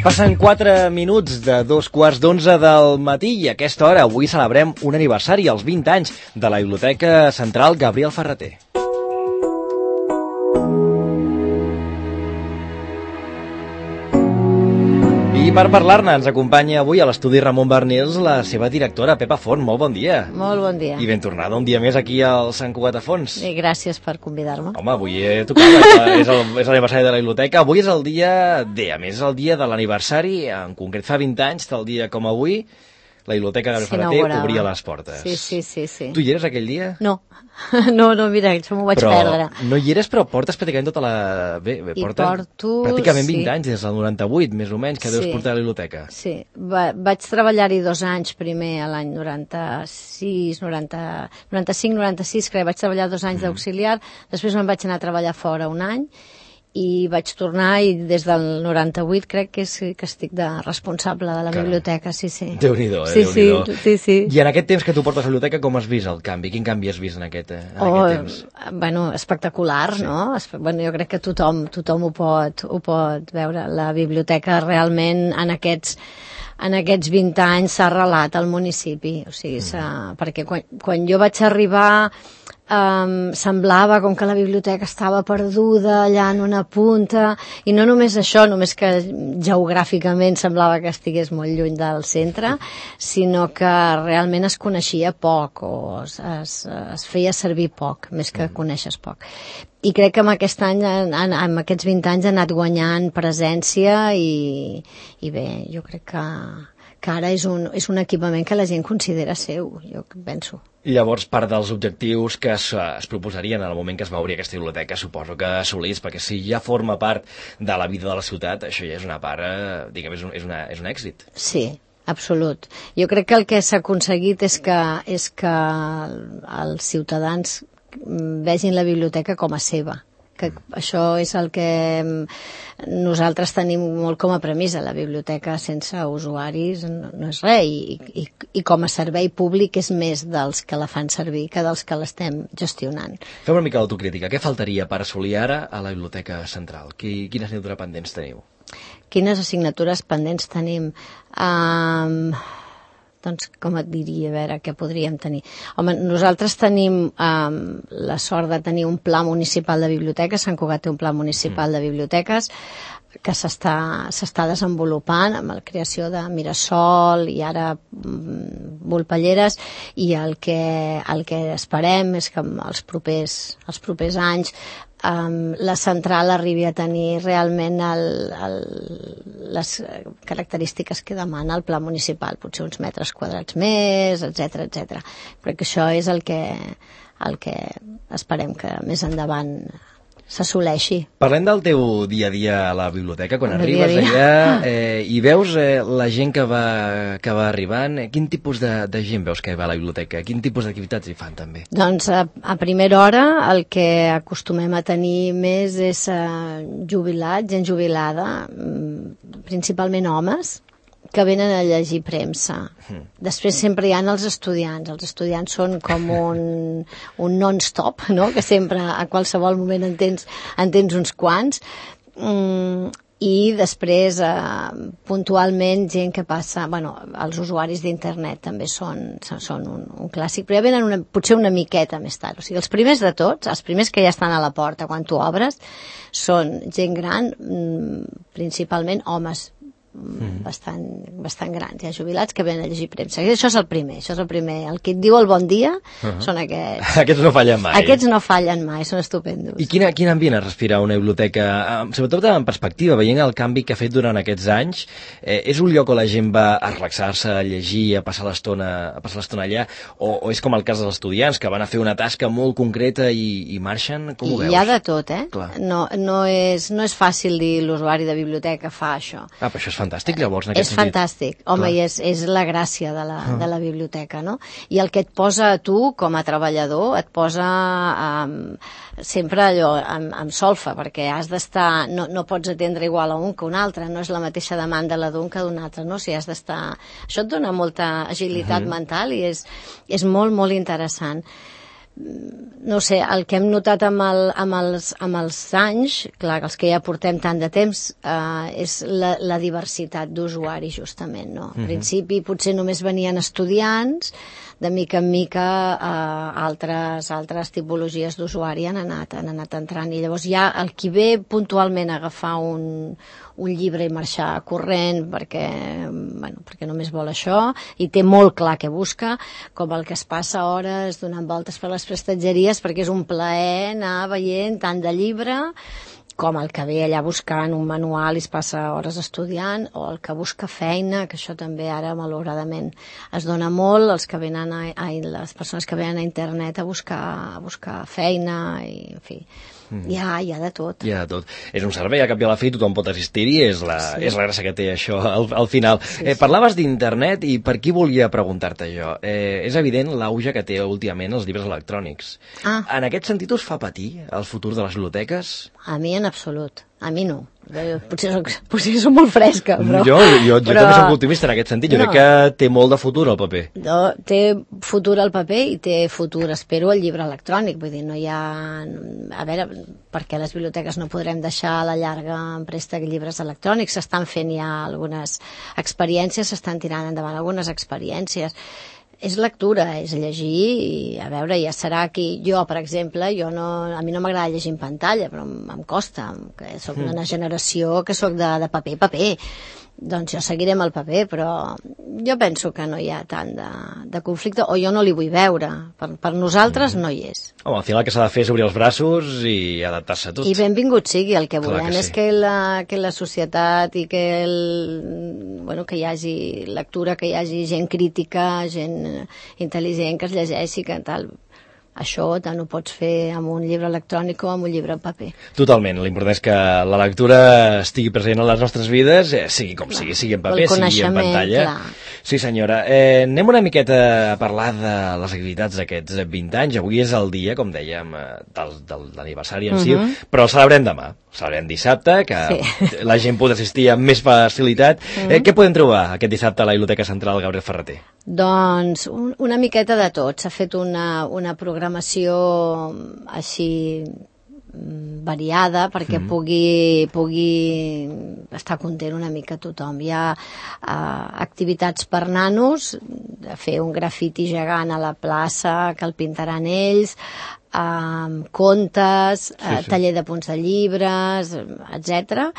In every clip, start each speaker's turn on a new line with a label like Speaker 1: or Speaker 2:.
Speaker 1: Passen 4 minuts de 2:15 del matí i a aquesta hora avui celebrem un aniversari, els 20 anys de la Biblioteca Central Gabriel Ferrater. I per parlar-ne ens acompanya avui a l'estudi Ramon Barnils la seva directora, Pepa Font. Molt bon dia.
Speaker 2: Molt bon dia.
Speaker 1: I ben tornada un dia més aquí al Sant Cugat a Fons.
Speaker 2: I gràcies per convidar-me.
Speaker 1: Home, avui tocava, és l'aniversari de la biblioteca. Avui és el dia D, a més és el dia de l'aniversari, en concret fa 20 anys, tal dia com avui, la Biblioteca Gabriel Ferrater obria les portes.
Speaker 2: Sí.
Speaker 1: Tu hi eres aquell dia?
Speaker 2: No, mira, això m'ho vaig perdre.
Speaker 1: No hi eres, però portes pràcticament tota la...
Speaker 2: porto...
Speaker 1: Pràcticament 20 anys, des del 98, més o menys, que deus portar a la biblioteca.
Speaker 2: Sí, vaig treballar-hi 2 anys, primer a l'any 95-96, crec, vaig treballar 2 anys d'auxiliar, després me'n vaig anar a treballar fora un any, i vaig tornar i des del 98 crec que estic de responsable de la biblioteca, sí.
Speaker 1: Déu-n'hi-do,
Speaker 2: Déu-n'hi-do. Sí.
Speaker 1: I en aquest temps que tu portes a la biblioteca, com has vist el canvi? Quin canvi has vist en aquest temps?
Speaker 2: Bueno, espectacular, sí. No? Bueno, jo crec que tothom ho pot veure. La biblioteca realment en aquests 20 anys s'ha arrelat al municipi, o sigui, perquè quan jo vaig arribar semblava com que la biblioteca estava perduda allà en una punta, i no només això, només que geogràficament semblava que estigués molt lluny del centre, sinó que realment es coneixia poc o es feia servir poc, més que coneixes poc. I crec que amb aquest any, amb aquests 20 anys, ha anat guanyant presència i bé, jo crec que ara és un equipament que la gent considera seu, jo penso.
Speaker 1: I llavors, part dels objectius que es proposarien en el moment que es va obrir aquesta biblioteca, suposo que assolís, perquè si ja forma part de la vida de la ciutat, això ja és una part, diguem, és un èxit.
Speaker 2: Sí, absolut. Jo crec que el que s'ha aconseguit és que els ciutadans vegin la biblioteca com a seva, que això és el que nosaltres tenim molt com a premissa. La biblioteca sense usuaris no és res, i com a servei públic és més dels que la fan servir que dels que l'estem gestionant.
Speaker 1: Fem una mica d'autocrítica. Què faltaria per assolir ara a la Biblioteca Central? Quines assignatures pendents teniu?
Speaker 2: Quines assignatures pendents tenim? Doncs, com et diria, a veure, què podríem tenir? Home, nosaltres tenim la sort de tenir un pla municipal de biblioteques. Sant Cugat té un pla municipal de biblioteques que s'està desenvolupant amb la creació de Mirasol i ara Volpelleres, i el que esperem és que els propers anys la central arribi a tenir realment les característiques que demana el pla municipal, potser uns metres quadrats més, etc. Crec que això és el que esperem que més endavant s'assoleixi.
Speaker 1: Parlem del teu dia a dia a la biblioteca, quan arribes allà i veus la gent que va arribant. Quin tipus de gent veus que va a la biblioteca? Quin tipus d'activitats hi fan també?
Speaker 2: Doncs a primera hora el que acostumem a tenir més és jubilats, gent jubilada, principalment homes, que venen a llegir premsa. Després sempre hi ha els estudiants. Els estudiants són com un non-stop, no? Que sempre, a qualsevol moment en tens uns quants. I després, puntualment, gent que passa... Bueno, els usuaris d'internet també són un clàssic, però ja venen potser una miqueta més tard. O sigui, els primers de tots, els primers que ja estan a la porta quan tu obres, són gent gran, principalment homes, bastant grans, hi ha jubilats que venen a llegir premsa. Això és el primer. El que et diu el bon dia són aquests.
Speaker 1: Aquests no fallen mai.
Speaker 2: Aquests no fallen mai, són estupendos.
Speaker 1: I quin ambient es respira una biblioteca, sobretot en perspectiva, veient el canvi que ha fet durant aquests anys? És un lloc on la gent va a relaxar-se, a llegir, a passar l'estona allà, o és com el cas dels estudiants que van a fer una tasca molt concreta i marxen? Com ho veus?
Speaker 2: Hi ha de tot,
Speaker 1: Clar.
Speaker 2: No és fàcil dir l'usuari de biblioteca fa això.
Speaker 1: Però això és fantàstic, llavors, en aquest sentit.
Speaker 2: És fantàstic, home, i és la gràcia de la biblioteca, no? I el que et posa a tu, com a treballador, et posa sempre allò amb solfa, perquè has d'estar, no pots atendre igual a un que un altre, no és la mateixa demanda la d'un que d'un altre, no? O sigui, has d'estar... Això et dona molta agilitat mental i és molt, molt interessant. no sé, el que hem notat amb els anys, clar, els que ja portem tant de temps, és la diversitat d'usuaris, justament, no? Al principi potser només venien estudiants, de mica en mica altres tipologies d'usuari han anat entrant, i llavors ja el qui ve puntualment a agafar un llibre i marxar corrent perquè només vol això i té molt clar què busca, com el que es passa hores donant voltes per les prestatgeries perquè és un plaer anar veient tant de llibre, com el que ve allà buscant un manual i es passa hores estudiant, o el que busca feina, que això també ara malauradament es dona molt, les persones que venen a internet a buscar feina, i en fi, hi ha de tot.
Speaker 1: Hi ha de tot. És un servei, al cap i a la fi tothom pot assistir-hi, és la gràcia que té això al final. Parlaves d'internet i per qui volia preguntar-te jo. És evident l'auge que té últimament els llibres electrònics. En aquest sentit us fa patir el futur de les biblioteques?
Speaker 2: A mi en absolut. A mi no. Potser soc molt fresca, però...
Speaker 1: Jo també soc optimista en aquest sentit. Jo crec que té molt de futur el paper.
Speaker 2: Té futur el paper i té futur, espero, el llibre electrònic. Vull dir, no hi ha... A veure, perquè les biblioteques no podrem deixar a la llarga en préstec llibres electrònics. S'estan fent ja algunes experiències, s'estan tirant endavant algunes experiències. És lectura, és llegir, i a veure, ja serà aquí. Jo, per exemple, a mi no m'agrada llegir en pantalla, però em costa, que soc d'una generació que soc de paper. Doncs jo seguiré amb el paper, però jo penso que no hi ha tant de conflicte, o jo no li vull veure. Per nosaltres no hi és.
Speaker 1: Home, al final el que s'ha de fer és obrir els braços i adaptar-se a tot.
Speaker 2: I benvingut sigui, el que volem és que la societat i que hi hagi lectura, que hi hagi gent crítica, gent intel·ligent que es llegeixi, que tal... Això tant ho pots fer amb un llibre electrònic o amb un llibre en paper.
Speaker 1: Totalment. L'important és que la lectura estigui present en les nostres vides, sigui com sigui, sigui en paper, sigui en pantalla.
Speaker 2: Clar.
Speaker 1: Sí, senyora. Anem una miqueta a parlar de les activitats d'aquests 20 anys. Avui és el dia, com dèiem, de l'aniversari en si, però el celebrem demà. El celebrem dissabte, que la gent pot assistir amb més facilitat. Què podem trobar aquest dissabte a la Biblioteca Central Gabriel Ferrater?
Speaker 2: Doncs una miqueta de tot. S'ha fet una programació així variada perquè pugui estar content una mica tothom. Hi ha activitats per nanos, fer un grafiti gegant a la plaça que el pintaran ells, contes, taller de punts de llibres, etc.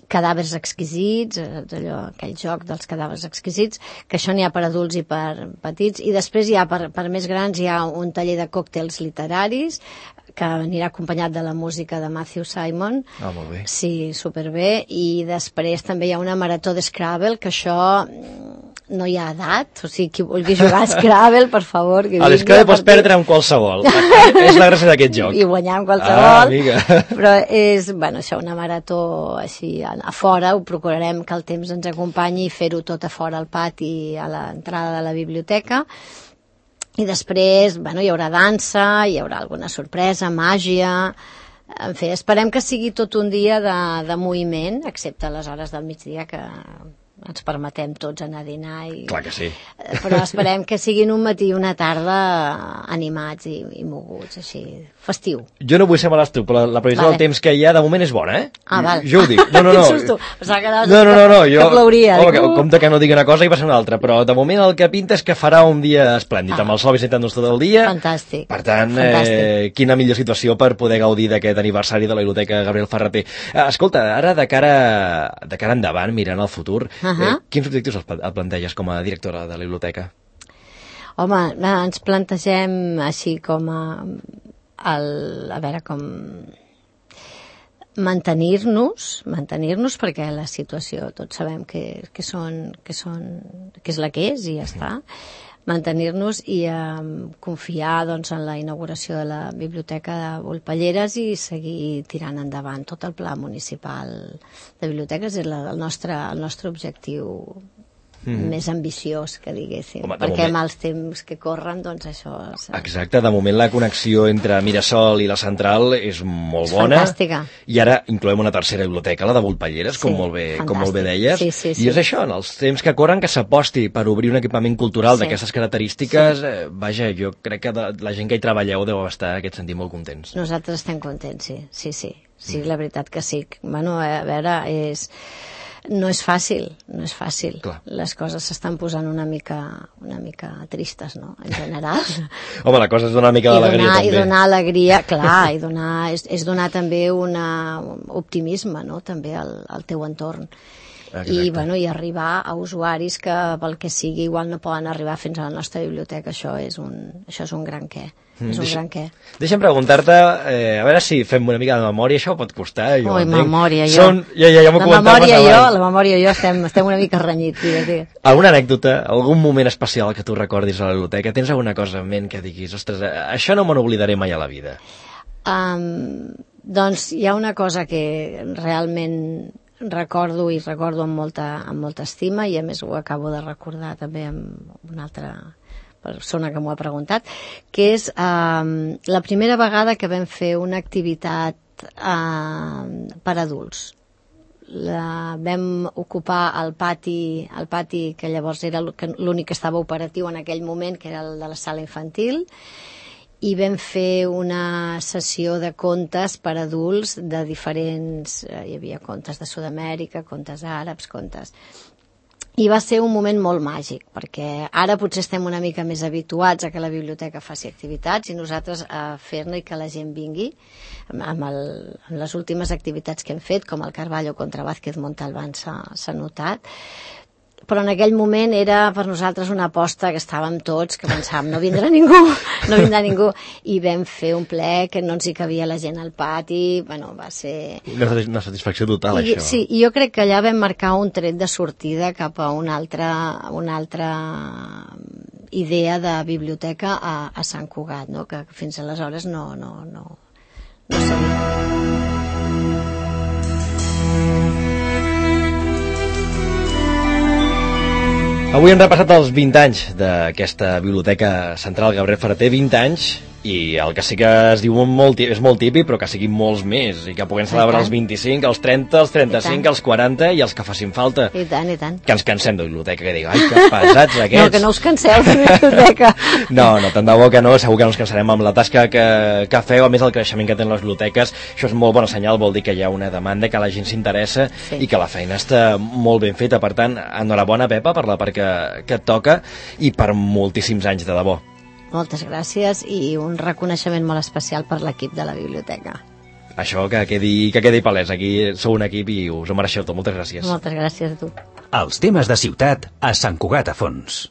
Speaker 2: Cadàvers exquisits, aquell joc dels cadàvers exquisits, que això n'hi ha per adults i per petits, i després hi ha per més grans hi ha un taller de còctels literaris que anirà acompanyat de la música de Matthew Simon.
Speaker 1: Molt bé.
Speaker 2: Sí, superbé. I després també hi ha una marató de Scrabble, que això no hi ha edat, o sigui, qui vulgui jugar a Scrabble, per favor, que
Speaker 1: a l'Scrabble pots perdre amb qualsevol. És la gràcia d'aquest joc.
Speaker 2: I guanyar amb qualsevol. Però és, això, una marató així a fora, ho procurarem que el temps ens acompanyi i fer-ho tot a fora al pati, a l'entrada de la biblioteca. I després, hi haurà dansa, hi haurà alguna sorpresa, màgia... En fi, esperem que sigui tot un dia de moviment, excepte les hores del migdia, que ens permetem tots anar a dinar.
Speaker 1: Clar que sí.
Speaker 2: Però esperem que siguin un matí i una tarda animats i moguts, així, festiu.
Speaker 1: Jo no vull ser malastru, però la previsió del temps que hi ha de moment és bona, eh?
Speaker 2: Val.
Speaker 1: Jo ho dic. No.
Speaker 2: Quin susto. Pensava que
Speaker 1: Jo...
Speaker 2: que plouria.
Speaker 1: Compte que no digui una cosa i passa una altra, però de moment el que pinta és que farà un dia esplèndid, amb el sol visitant-nos tot el dia.
Speaker 2: Fantàstic.
Speaker 1: Per tant, quina millor situació per poder gaudir d'aquest aniversari de la Biblioteca Gabriel Ferrater. Escolta, ara de cara endavant, mirant el futur, quins objectius et planteges com a directora de la biblioteca?
Speaker 2: Home, ens plantegem així com a veure com mantenir-nos perquè la situació tots sabem que és la que és i ja està. Mantenir-nos i confiar en la inauguració de la Biblioteca de Volpelleres i seguir tirant endavant tot el pla municipal de biblioteques. És el nostre objectiu més ambiciós, que diguéssim.
Speaker 1: Home,
Speaker 2: perquè amb els temps que corren, doncs això...
Speaker 1: Exacte, de moment la connexió entre Mirasol i la central és molt bona.
Speaker 2: Fantàstica.
Speaker 1: I ara incloem una tercera biblioteca, la de Volpelleres, com molt bé deies.
Speaker 2: Sí.
Speaker 1: I és això, en els temps que corren, que s'aposti per obrir un equipament cultural d'aquestes característiques. Vaja, jo crec que la gent que hi treballeu deu estar en aquest sentit molt contents.
Speaker 2: Nosaltres estem contents, sí. Sí, la veritat que sí. Bueno, a veure, no és fàcil.
Speaker 1: Clar.
Speaker 2: Les coses s'estan posant una mica tristes, no?, en general.
Speaker 1: Home, la cosa és donar una mica d'alegria, també.
Speaker 2: I donar alegria, clar, és donar també un optimisme, no?, també al teu entorn.
Speaker 1: Exacte.
Speaker 2: I arribar a usuaris que pel que sigui igual no poden arribar fins a la nostra biblioteca, això és un gran què. Deixa'm
Speaker 1: preguntar-te, a veure si fem una mica de memòria, això pot costar, jo entenc.
Speaker 2: Memòria, jo.
Speaker 1: Ja m'ho comentaves abans.
Speaker 2: La memòria i jo estem una mica renyits, digues.
Speaker 1: Alguna anècdota, algun moment especial que tu recordis a la biblioteca? Tens alguna cosa en ment que diguis, ostres, això no me n'oblidaré mai a la vida?
Speaker 2: Doncs hi ha una cosa que realment recordo amb molta estima, i a més ho acabo de recordar també amb una altra persona que m'ho ha preguntat, que és la primera vegada que vam fer una activitat per adults. Vam ocupar el pati que llavors era l'únic que estava operatiu en aquell moment, que era el de la sala infantil, i vam fer una sessió de contes per adults de diferents... hi havia contes de Sud-amèrica, contes àrabs, I va ser un moment molt màgic, perquè ara potser estem una mica més habituats a que la biblioteca faci activitats i nosaltres a fer-ne i que la gent vingui. Amb les últimes activitats que hem fet, com el Carballo contra Vázquez Montalbán, s'ha notat. Però en aquell moment era per nosaltres una aposta que estàvem tots, que pensàvem no vindrà ningú, i vam fer un ple que no ens hi cabia la gent al pati. Bueno, va ser...
Speaker 1: Una satisfacció total, això.
Speaker 2: Sí, i jo crec que allà vam marcar un tret de sortida cap a una altra idea de biblioteca a Sant Cugat, no? Que fins aleshores no sabia.
Speaker 1: Avui hem repassat els 20 anys d'aquesta Biblioteca Central Gabriel Ferrater, 20 anys, i el que sí que es diu és molt típic, però que siguin molts més, i que puguem celebrar els 25, els 30, els 35, els 40 i els que facin falta.
Speaker 2: I tant.
Speaker 1: Que ens cansem de biblioteca, que digui, ai, que pesats aquests.
Speaker 2: No, que no us canseu de biblioteca.
Speaker 1: No, tant de bo que no, segur que no ens cansarem amb la tasca que feu, a més el creixement que tenen les biblioteques. Això és molt bon senyal, vol dir que hi ha una demanda, que la gent s'interessa i que la feina està molt ben feta. Per tant, enhorabona, Pepa, per la part que et toca i per moltíssims anys, de debò.
Speaker 2: Moltes gràcies i un reconeixement molt especial per l'equip de la biblioteca.
Speaker 1: Això que quedi palès, aquí sou un equip i us ho mereixeu tot. Moltes gràcies.
Speaker 2: Moltes gràcies a tu.
Speaker 3: Els temes de ciutat a Sant Cugat a Fons.